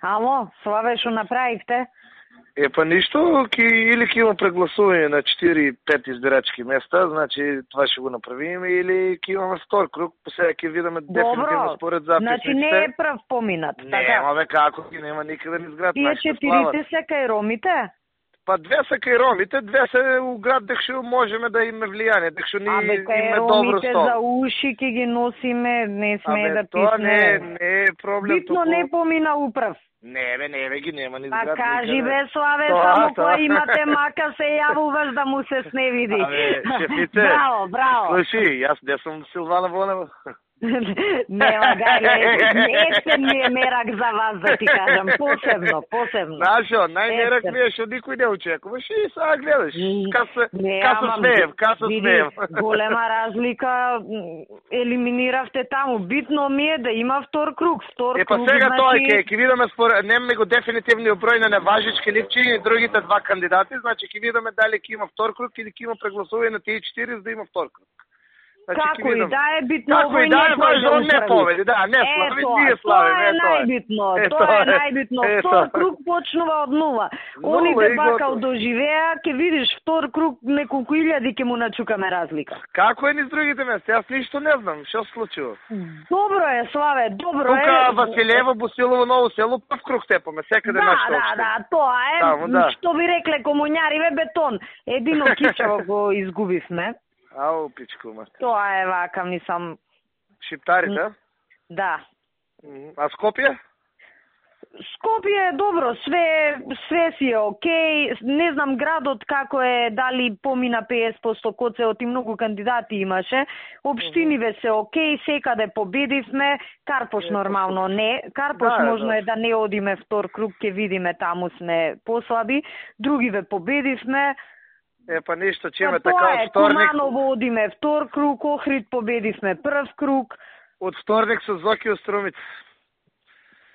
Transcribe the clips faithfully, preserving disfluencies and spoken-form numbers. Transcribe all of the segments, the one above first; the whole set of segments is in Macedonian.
Ало, Славе, што направивте? Е, па ништо, ки, или ќе има прегласување на четири-пет избирачки места, значи това ќе го направиме, или ќе имаме втор круг, сега ќе видиме дефинитивно според записниците. Значи не е прв поминат, не, така? Нема, бе, како ги нема никаде ни зград. Тие четирите се кај ромите? Па две се кај ромите, две се у град, декшо можеме да име влијание, декшо ни име добро сто. Абе, кај ромите за уши ќе ги носиме, не сме да писне. Тоа не, не е проблем. Битно току... не помина управ. Не, бе, не, бе, ги нема ни зград. А кажи, бе, Славе, тоа, само тоа. Кој имате мака се јавуваш да му се сневиди. Абе, шефите. Браво, браво. Слуши, јас не сум Силвана Вонева. Нема, гајле, есен ми е мерак за вас, да ти кажам, посебно, посебно. Нашо, најмерак ми е што никој не очекува, ши сега гледаш, каса смеев, каса смеев. Голема разлика, елиминиравте таму, битно ми е да има втор круг, втор круг, значи... Е, па сега тоа е, ќе видиме, немаме го дефинитивниот број на неважички липчиња и другите два кандидати, значи ќе видиме дали ќе има втор круг или ќе има прегласување на тие четири за да има втор круг. Значи, како и да е битно, како и да е важно, не победи, да, не слави, ние славиме, тоа е најбитно, тоа е најбитно, втор круг почнува од нула. Оните бакал доживеа, ќе видиш втор круг неколку илјади ќе му начукаме разлика. Како е низ другите места? Јас ништо не знам, што се случува? Добро е, Славе, добро е. Тука Василево, Босилово, Ново село, прв круг тепаме, секаде нашто. Да, да, да, тоа е, што би рекле комуњариве бетон. Едино кичево го изгубивме. Ау, пичко, мате. Тоа е вака, мислам... Шиптарите? Да. А Скопје? Скопје е добро, све, све си е окей. Не знам градот како е, дали помина петдесет проценти коцеот и многу кандидати имаше. Обштиниве се окей, секаде победивме. Карпош нормално не. Карпош да, можно да. е да не одиме втор круг, ќе видиме, таму сме послаби. Другиве победивме. Е, па ништо, че има така од вторник... Куманово одиме втор круг, Охрид победивме прв круг. Од вторник со Зоки Остромица.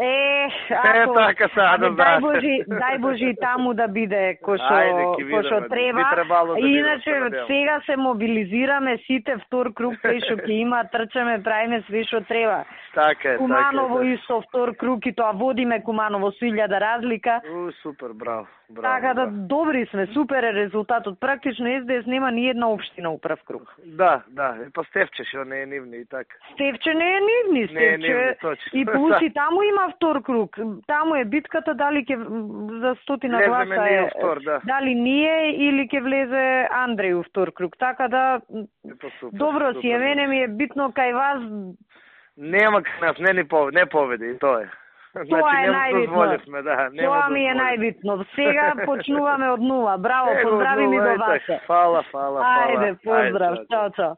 Е, ако... Е, така са, да дај Божи, дај Божи таму да биде кој што треба. Да иначе, да сега се мобилизираме сите втор круг, кај што ќе има, трчаме, правиме све што треба. Така е, Куманово така е. исто втор круг и тоа водиме Куманово со илјада разлика. У, супер, браво. Браво, така да, браво. добри сме, супер е резултатот. Практично Ес Де Ес нема ни една општина у прв круг. Да, да, и па Стефче што не е нивни и така. Стефче не е нивни, Стефче. Не е нивни, точно. И плюс и таму има втор круг. Таму е битката дали ќе за стотина гласа е, втор, да. дали ние или ќе влезе Андреј у втор круг. Така да, па супер, добро супер, си е, мене ми е битно кај вас. Нема кај нас, не ни победи, не победи, и тоа е. Тоа значи, е најбитно. Да, Тоа ми е најбитно. Сега почнуваме од нула. Браво, поздрави ми до вас. Фала, фала, фала. Ајде, поздрав, чао, чао.